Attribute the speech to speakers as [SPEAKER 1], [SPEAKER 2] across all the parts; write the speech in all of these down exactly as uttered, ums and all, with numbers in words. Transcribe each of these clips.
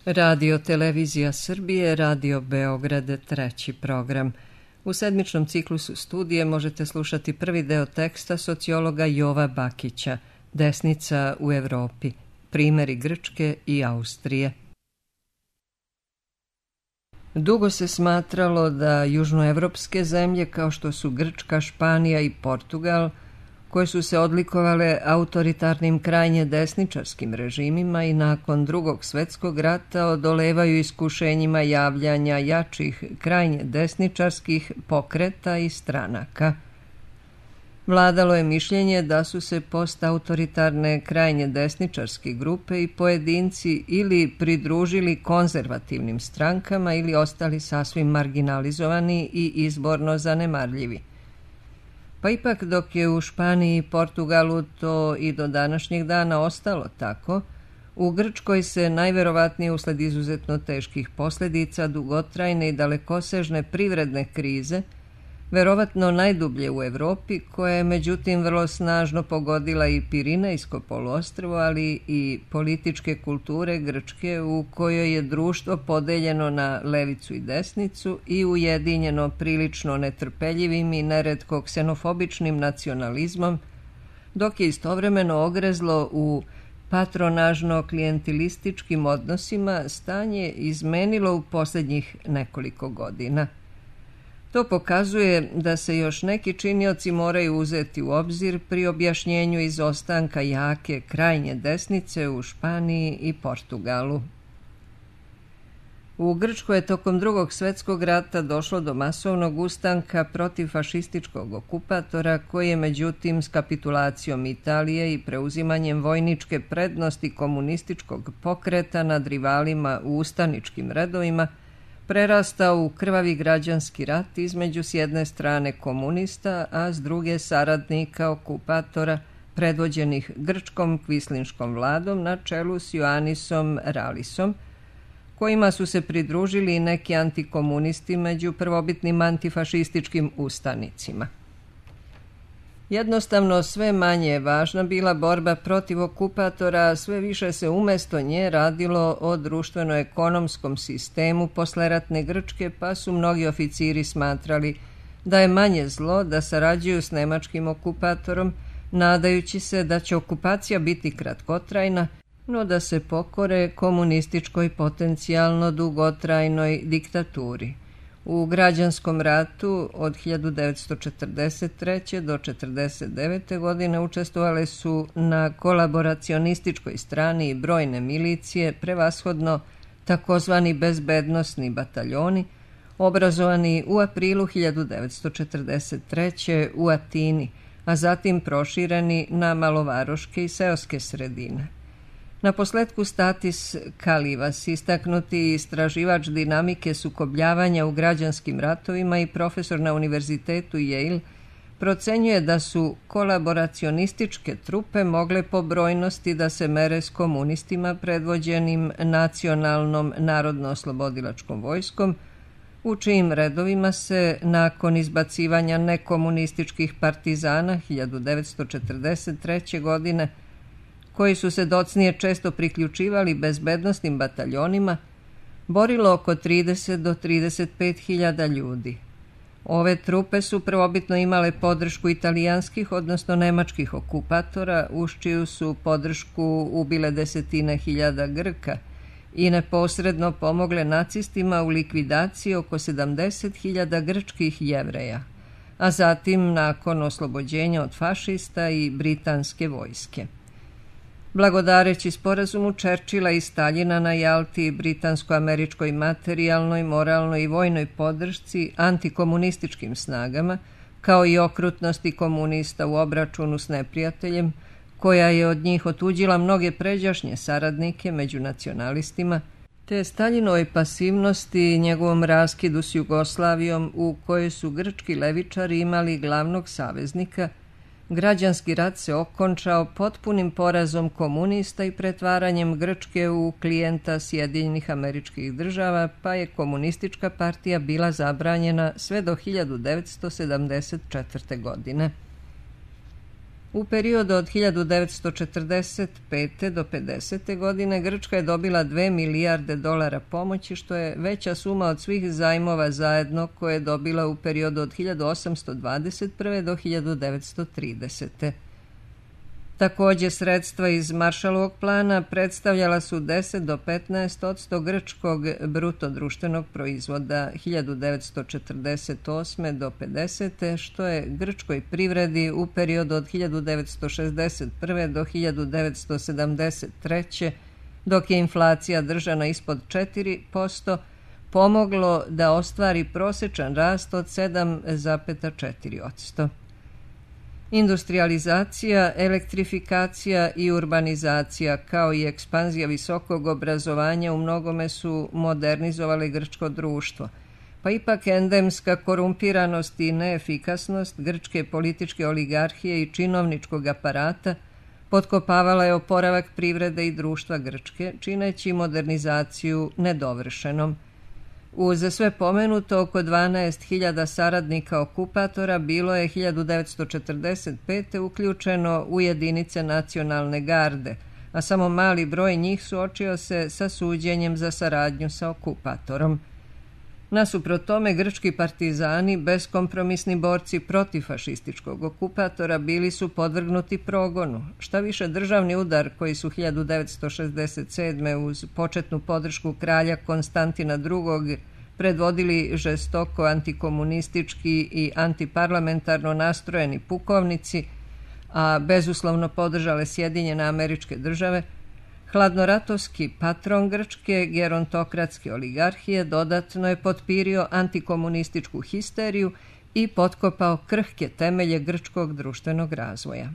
[SPEAKER 1] Radio Televizija Srbije, Radio Beograd, treći program. U sedmičnom ciklusu studije možete slušati prvi deo teksta sociologa Jova Bakića, Desnica u Evropi, primjeri Grčke i Austrije. Dugo se smatralo da južnoevropske zemlje kao što su Grčka, Španija i Portugal, koje su se odlikovale autoritarnim krajnje desničarskim režimima i nakon Drugog svjetskog rata odolevaju iskušenjima javljanja jačih krajnje desničarskih pokreta i stranaka. Vladalo je mišljenje da su se postautoritarne krajnje desničarske grupe i pojedinci ili pridružili konzervativnim strankama ili ostali sasvim marginalizovani i izborno zanemarljivi. Pa ipak dok je u Španiji i Portugalu to i do današnjeg dana ostalo tako, u Grčkoj se najverovatnije usled izuzetno teških posljedica dugotrajne i dalekosežne privredne krize, verovatno najdublje u Evropi, koja je međutim vrlo snažno pogodila i Pirinejsko poluostrvo, ali i političke kulture Grčke u kojoj je društvo podeljeno na levicu i desnicu i ujedinjeno prilično netrpeljivim i neretko ksenofobičnim nacionalizmom, dok je istovremeno ogrezlo u patronažno-klijentilističkim odnosima, stanje izmenilo u posljednjih nekoliko godina. To pokazuje da se još neki činioci moraju uzeti u obzir pri objašnjenju izostanka jake krajnje desnice u Španiji i Portugalu. U Grčkoj je tokom Drugog svjetskog rata došlo do masovnog ustanka protiv fašističkog okupatora koji je međutim s kapitulacijom Italije i preuzimanjem vojničke prednosti komunističkog pokreta nad rivalima u ustaničkim redovima prerastao u krvavi građanski rat između s jedne strane komunista, a s druge saradnika okupatora predvođenih grčkom kvislinškom vladom na čelu s Ioannisom Rallisom, kojima su se pridružili i neki antikomunisti među prvobitnim antifašističkim ustanicima. Jednostavno sve manje je važna bila borba protiv okupatora, a sve više se umjesto nje radilo o društveno-ekonomskom sistemu posleratne Grčke, pa su mnogi oficiri smatrali da je manje zlo da sarađuju s nemačkim okupatorom, nadajući se da će okupacija biti kratkotrajna, no da se pokore komunističkoj potencijalno dugotrajnoj diktaturi. U građanskom ratu od hiljadu devetsto četrdeset treće do četrdeset devete godine učestvovale su na kolaboracionističkoj strani i brojne milicije, prevashodno takozvani bezbednosni bataljoni, obrazovani u aprilu hiljadu devetsto četrdeset treće u Atini, a zatim prošireni na malovaroške i seoske sredine. Na posletku Statis Kalivas, istaknuti istraživač dinamike sukobljavanja u građanskim ratovima i profesor na univerzitetu Yale, procenjuje da su kolaboracionističke trupe mogle po brojnosti da se mere s komunistima predvođenim nacionalnom narodno-oslobodilačkom vojskom, u čijim redovima se nakon izbacivanja nekomunističkih partizana hiljadu devetsto četrdeset treće. godine koji su se docnije često priključivali bezbednosnim bataljonima, borilo oko trideset do trideset pet hiljada ljudi. Ove trupe su prvobitno imale podršku italijanskih, odnosno nemačkih okupatora, uz čiju su podršku ubile desetine hiljada Grka i neposredno pomogle nacistima u likvidaciji oko sedamdeset hiljada grčkih Jevreja, a zatim nakon oslobođenja od fašista i britanske vojske. Blagodareći sporazumu Churchilla i Staljina na Jalti britansko-američkoj materijalnoj, moralnoj i vojnoj podršci antikomunističkim snagama, kao i okrutnosti komunista u obračunu s neprijateljem, koja je od njih otuđila mnoge pređašnje saradnike među nacionalistima, te Staljinovoj pasivnosti i njegovom raskidu s Jugoslavijom u kojoj su grčki levičari imali glavnog saveznika, građanski rat se okončao potpunim porazom komunista i pretvaranjem Grčke u klijenta Sjedinjenih Američkih Država, pa je komunistička partija bila zabranjena sve do hiljadu devetsto sedamdeset četvrte. godine. U periodu od hiljadu devetsto četrdeset pete do pedesete godine Grčka je dobila dve milijarde dolara pomoći, što je veća suma od svih zajmova zajedno koje je dobila u periodu od hiljadu osamsto dvadeset prve do hiljadu devetsto tridesete. Također, sredstva iz Marshallovog plana predstavljala su deset do petnaest odsto grčkog bruto društvenog proizvoda hiljadu devetsto četrdeset osme do pedesete, što je grčkoj privredi u periodu od hiljadu devetsto šezdeset prve do hiljadu devetsto sedamdeset treće, dok je inflacija držana ispod četiri posto, pomoglo da ostvari prosječan rast od sedam zarez četiri posto. Industrializacija, elektrifikacija i urbanizacija, kao i ekspanzija visokog obrazovanja u mnogome su modernizovali grčko društvo, pa ipak endemska korumpiranost i neefikasnost grčke političke oligarhije i činovničkog aparata potkopavala je oporavak privrede i društva Grčke, čineći modernizaciju nedovršenom. Uz sve pomenuto, oko dvanaest hiljada saradnika okupatora bilo je hiljadu devetsto četrdeset pete uključeno u jedinice nacionalne garde, a samo mali broj njih suočio se sa suđenjem za saradnju sa okupatorom. Nasuprot tome, grčki partizani, beskompromisni borci protiv fašističkog okupatora, bili su podvrgnuti progonu. Šta više, državni udar koji su hiljadu devetsto šezdeset sedme uz početnu podršku kralja Konstantina drugog predvodili žestoko antikomunistički i antiparlamentarno nastrojeni pukovnici, a bezuslovno podržale Sjedinjene Američke Države, hladnoratovski patron grčke gerontokratske oligarhije dodatno je potpirio antikomunističku histeriju i potkopao krhke temelje grčkog društvenog razvoja.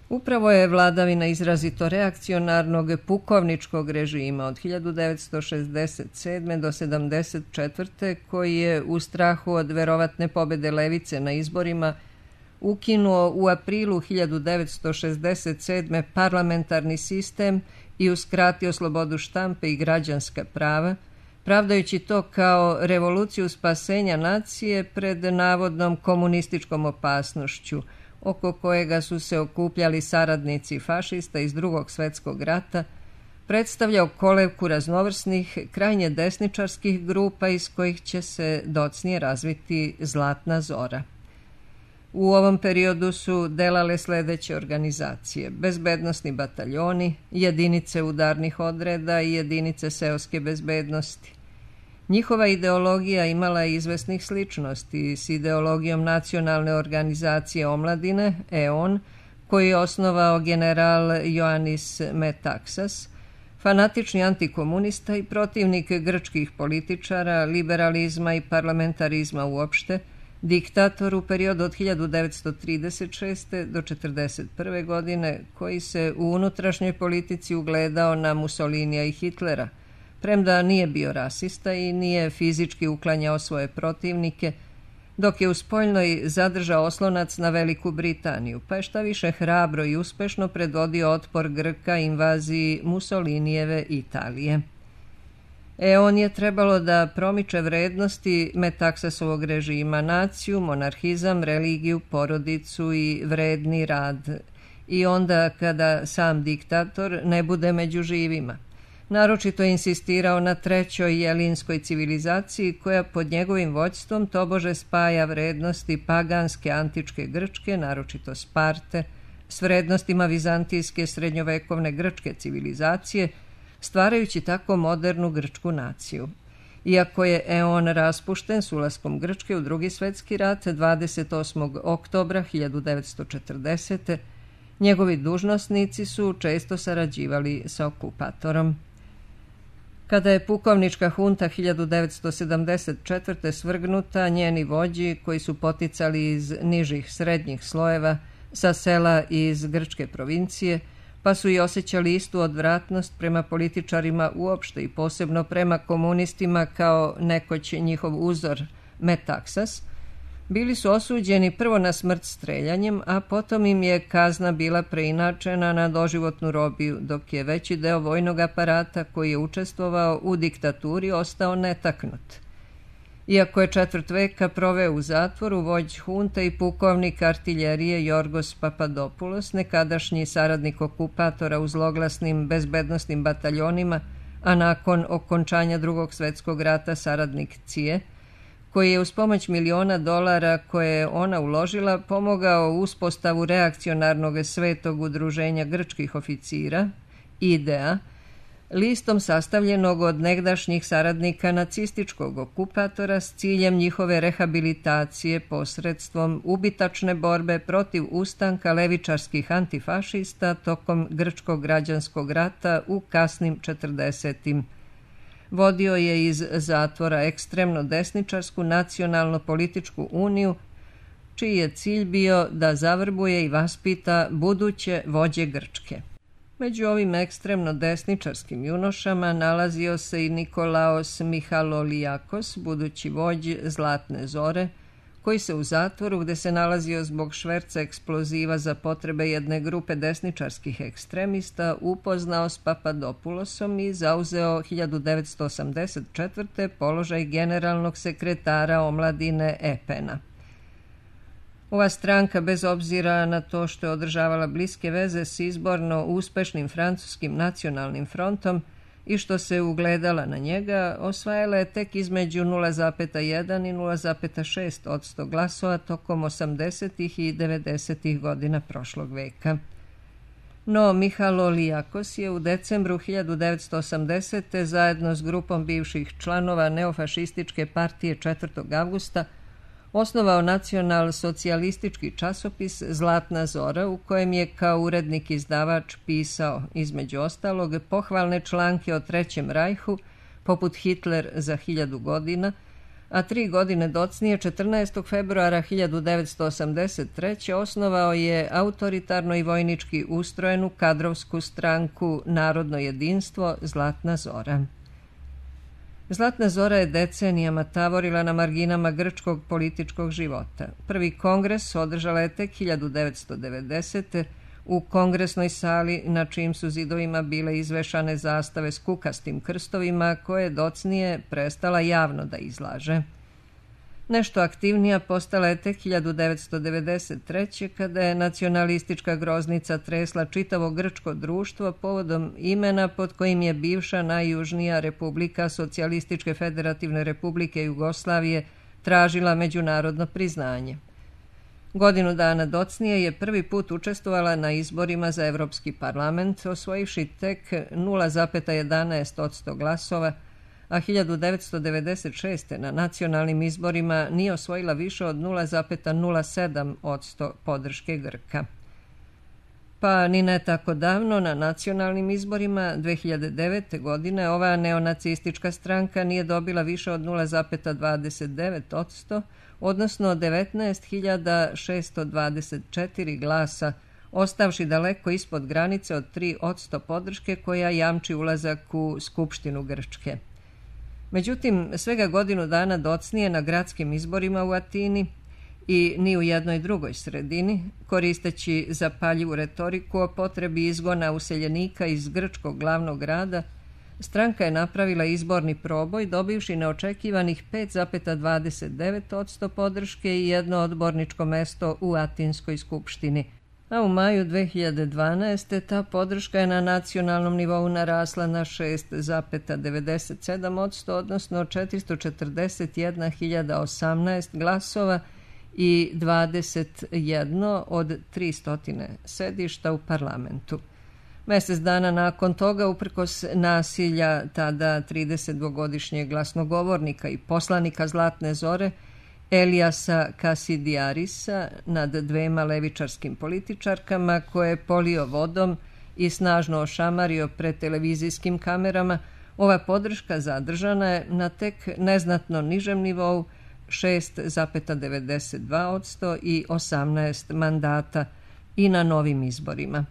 [SPEAKER 1] Upravo je vladavina izrazito reakcionarnog pukovničkog režima od hiljadu devetsto šezdeset sedme do sedamdeset četvrte koji je u strahu od verovatne pobede levice na izborima ukinuo u aprilu hiljadu devetsto šezdeset sedme parlamentarni sistem i uskratio slobodu štampe i građanska prava, pravdajući to kao revoluciju spasenja nacije pred navodnom komunističkom opasnošću, oko kojega su se okupljali saradnici fašista iz Drugog svjetskog rata, predstavljao kolevku raznovrsnih, krajnje desničarskih grupa iz kojih će se docnije razviti Zlatna zora. U ovom periodu su delale sledeće organizacije: bezbednosni bataljoni, jedinice udarnih odreda i jedinice seoske bezbednosti. Njihova ideologija imala je izvesnih sličnosti s ideologijom nacionalne organizacije omladine, E O N, koji je osnovao general Ioannis Metaxas, fanatični antikomunista i protivnik grčkih političara, liberalizma i parlamentarizma uopšte, diktator u periodu od hiljadu devetsto trideset šeste do četrdeset prve godine, koji se u unutrašnjoj politici ugledao na Mussolinija i Hitlera, premda nije bio rasista i nije fizički uklanjao svoje protivnike, dok je u spoljnoj zadržao oslonac na Veliku Britaniju, pa je šta više hrabro i uspešno predvodio otpor Grka invaziji Mussolinijeve Italije. E on je trebalo da promiče vrednosti Metaksasovog režima, naciju, monarhizam, religiju, porodicu i vredni rad, i onda kada sam diktator ne bude među živima. Naročito je insistirao na trećoj jelinskoj civilizaciji koja pod njegovim vođstvom tobože spaja vrednosti paganske antičke Grčke, naročito Sparte, s vrednostima vizantijske srednjovekovne grčke civilizacije, stvarajući tako modernu grčku naciju. Iako je E O N raspušten s ulaskom Grčke u Drugi svjetski rat dvadeset osmog oktobra hiljadu devetsto četrdesete, njegovi dužnosnici su često sarađivali sa okupatorom. Kada je pukovnička hunta hiljadu devetsto sedamdeset četvrte svrgnuta, njeni vođi, koji su poticali iz nižih srednjih slojeva, sa sela i iz grčke provincije, pa su i osjećali istu odvratnost prema političarima uopšte i posebno prema komunistima kao nekoć njihov uzor Metaksas, bili su osuđeni prvo na smrt streljanjem, a potom im je kazna bila preinačena na doživotnu robiju, dok je veći deo vojnog aparata koji je učestvovao u diktaturi ostao netaknut. Iako je četvrt veka proveo u zatvoru, vođ hunte i pukovnik artiljerije Jorgos Papadopoulos, nekadašnji saradnik okupatora u zloglasnim bezbednosnim bataljonima, a nakon okončanja Drugog svjetskog rata saradnik C I E, koji je uz pomoć miliona dolara koje je ona uložila pomogao uspostavu reakcionarnog svetog udruženja grčkih oficira, I D E A, listom sastavljenog od negdašnjih saradnika nacističkog okupatora s ciljem njihove rehabilitacije posredstvom ubitačne borbe protiv ustanka levičarskih antifašista tokom grčkog građanskog rata u kasnim četrdesetim. Vodio je iz zatvora ekstremno desničarsku nacionalno-političku uniju, čiji je cilj bio da zavrbuje i vaspita buduće vođe Grčke. Među ovim ekstremno desničarskim junošama nalazio se i Nikolaos Michaloliakos, budući vođ Zlatne zore, koji se u zatvoru, gde se nalazio zbog šverca eksploziva za potrebe jedne grupe desničarskih ekstremista, upoznao s Papadopoulosom i zauzeo hiljadu devetsto osamdeset četvrte položaj generalnog sekretara omladine E P N A. Ova stranka, bez obzira na to što je održavala bliske veze s izborno uspešnim francuskim nacionalnim frontom i što se ugledala na njega, osvajala je tek između nula zarez jedan i nula zarez šest posto glasova tokom osamdesetih i devedesetih godina prošlog veka. No, Michaloliakos je u decembru hiljadu devetsto osamdesete zajedno s grupom bivših članova neofašističke partije četvrtog avgusta osnovao nacional-socijalistički časopis Zlatna zora, u kojem je kao urednik izdavač pisao, između ostalog, pohvalne članke o Trećem rajhu, poput Hitler za hiljadu godina, a tri godine docnije, četrnaestog februara hiljadu devetsto osamdeset treće. osnovao je autoritarno i vojnički ustrojenu kadrovsku stranku Narodno jedinstvo Zlatna zora. Zlatna zora je decenijama tavorila na marginama grčkog političkog života. Prvi kongres održala je tek hiljadu devetsto devedesete. u kongresnoj sali, na čijim su zidovima bile izvešane zastave s kukastim krstovima, koje je docnije prestala javno da izlaže. Nešto aktivnija postala je tek hiljadu devetsto devedeset treće. kada je nacionalistička groznica tresla čitavo grčko društvo povodom imena pod kojim je bivša najjužnija republika Socijalističke federativne republike Jugoslavije tražila međunarodno priznanje. Godinu dana docnije je prvi put učestvovala na izborima za Evropski parlament, osvojivši tek nula zarez jedanaest posto glasova, a hiljadu devetsto devedeset šeste. na nacionalnim izborima nije osvojila više od nula zarez nula sedam posto podrške Grka. Pa ni ne tako davno na nacionalnim izborima dve hiljade devete. godine ova neonacistička stranka nije dobila više od nula zarez dvadeset devet posto, odnosno devetnaest hiljada šesto dvadeset četiri glasa, ostavši daleko ispod granice od tri posto podrške koja jamči ulazak u Skupštinu Grčke. Međutim, svega godinu dana docnije na gradskim izborima u Atini i ni u jednoj drugoj sredini, koristeći zapaljivu retoriku o potrebi izgona useljenika iz grčkog glavnog grada, stranka je napravila izborni proboj, dobivši neočekivanih pet zarez dvadeset devet posto podrške i jedno odborničko mesto u Atinskoj skupštini. A u maju dve hiljade dvanaeste. ta podrška je na nacionalnom nivou narasla na šest zarez devedeset sedam posto, odnosno četiristo četrdeset jedna hiljada osamnaest glasova i dvadeset jedno od tristo sedišta u parlamentu. Mjesec dana nakon toga, uprkos nasilja tada tridesetdvogodišnjeg glasnogovornika i poslanika Zlatne zore, Eliasa Kasidiarisa, nad dvema levičarskim političarkama koje je polio vodom i snažno ošamario pred televizijskim kamerama, ova podrška zadržana je na tek neznatno nižem nivou šest zarez devedeset dva posto i osamnaest mandata i na novim izborima.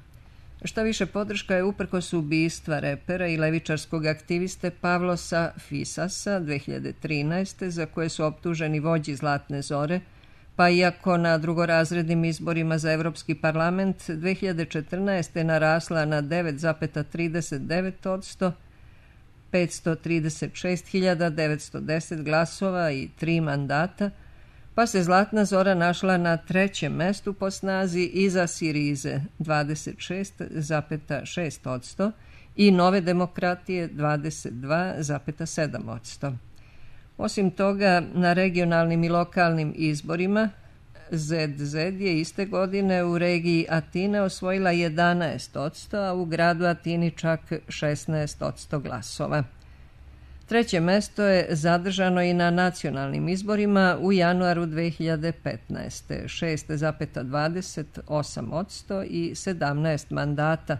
[SPEAKER 1] Šta više, podrška je uprkos ubistva repera i levičarskog aktiviste Pavlosa Fisasa dve hiljade trinaeste. za koje su optuženi vođi Zlatne zore, pa iako na drugorazrednim izborima za Evropski parlament dve hiljade četrnaeste. narasla na devet zarez trideset devet posto, petsto trideset šest hiljada devetsto deset glasova i tri mandata, pa se Zlatna Zora našla na trećem mestu po snazi iza Sirize dvadeset šest zarez šest posto i Nove demokratije dvadeset dva zarez sedam posto. Osim toga, na regionalnim i lokalnim izborima zet zet je iste godine u regiji Atine osvojila jedanaest posto, a u gradu Atini čak šesnaest posto glasova. Treće mesto je zadržano i na nacionalnim izborima u januaru dve hiljade petnaeste. šest zarez dvadeset osam posto i sedamnaest mandata,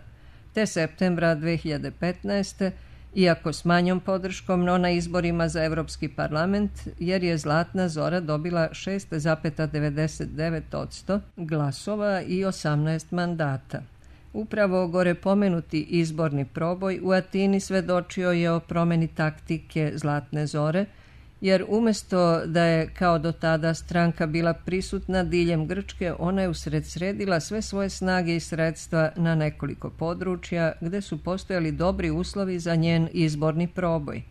[SPEAKER 1] te septembra dve hiljade petnaeste. Iako s manjom podrškom, no na izborima za Evropski parlament, jer je Zlatna Zora dobila šest zarez devedeset devet posto glasova i osamnaest mandata. Upravo gore pomenuti izborni proboj u Atini svedočio je o promeni taktike Zlatne Zore, jer umjesto da je kao do tada stranka bila prisutna diljem Grčke, ona je usredsredila sve svoje snage i sredstva na nekoliko područja gde su postojali dobri uslovi za njen izborni proboj.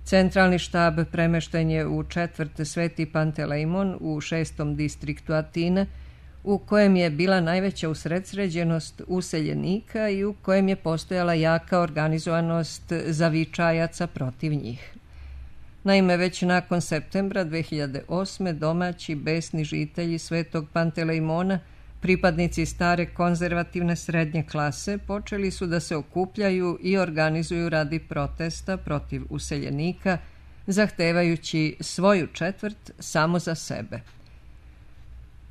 [SPEAKER 1] Centralni štab premešten je u četvrt Sveti Pantelejmon u šestom distriktu Atine, u kojem je bila najveća usredsređenost useljenika i u kojem je postojala jaka organizovanost zavičajaca protiv njih. Naime, već nakon septembra dve hiljade osme. domaći besni žitelji Svetog Pantelejmona, pripadnici stare konzervativne srednje klase, počeli su da se okupljaju i organizuju radi protesta protiv useljenika, zahtevajući svoju četvrt samo za sebe.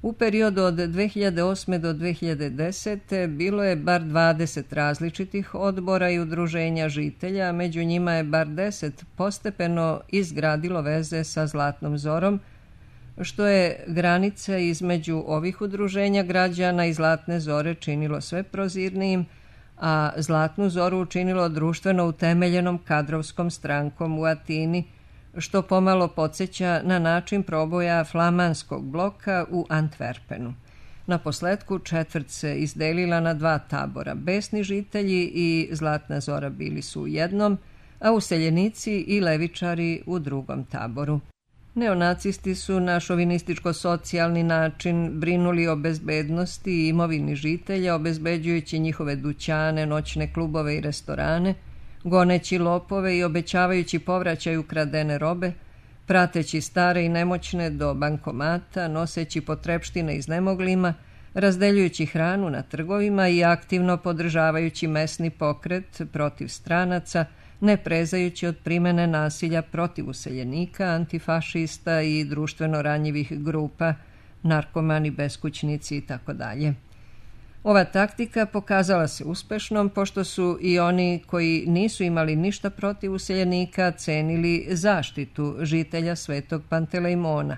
[SPEAKER 1] U periodu od dve hiljade osme. do dve hiljade desete. bilo je bar dvadeset različitih odbora i udruženja žitelja, a među njima je bar deset postepeno izgradilo veze sa Zlatnom Zorom, što je granice između ovih udruženja građana i Zlatne Zore činilo sve prozirnijim, a Zlatnu Zoru učinilo društveno utemeljenom kadrovskom strankom u Atini, što pomalo podsjeća na način proboja flamanskog bloka u Antwerpenu. Na posledku četvrt se izdelila na dva tabora. Besni žitelji i Zlatna Zora bili su u jednom, a useljenici i levičari u drugom taboru. Neonacisti su na šovinističko-socijalni način brinuli o bezbednosti i imovini žitelja, obezbeđujući njihove dućane, noćne klubove i restorane, goneći lopove i obećavajući povraćaj ukradene robe, prateći stare i nemoćne do bankomata, noseći potrepštine iznemoglima, razdeljujući hranu na trgovima i aktivno podržavajući mesni pokret protiv stranaca, ne prezajući od primene nasilja protiv useljenika, antifašista i društveno ranjivih grupa, narkomani, beskućnici itd. Ova taktika pokazala se uspešnom, pošto su i oni koji nisu imali ništa protiv useljenika cenili zaštitu žitelja Svetog Pantelejmona.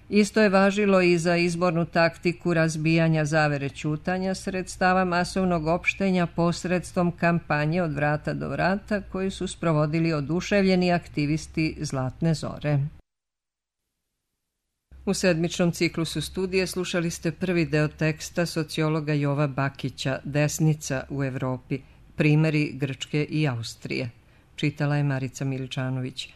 [SPEAKER 1] Isto je važilo i za izbornu taktiku razbijanja zavere ćutanja sredstava masovnog opštenja posredstvom kampanje od vrata do vrata koju su sprovodili oduševljeni aktivisti Zlatne Zore. U sedmičnom ciklusu studije slušali ste prvi deo teksta sociologa Jova Bakića Desnica u Evropi, primeri Grčke i Austrije. Čitala je Marica Miličanović.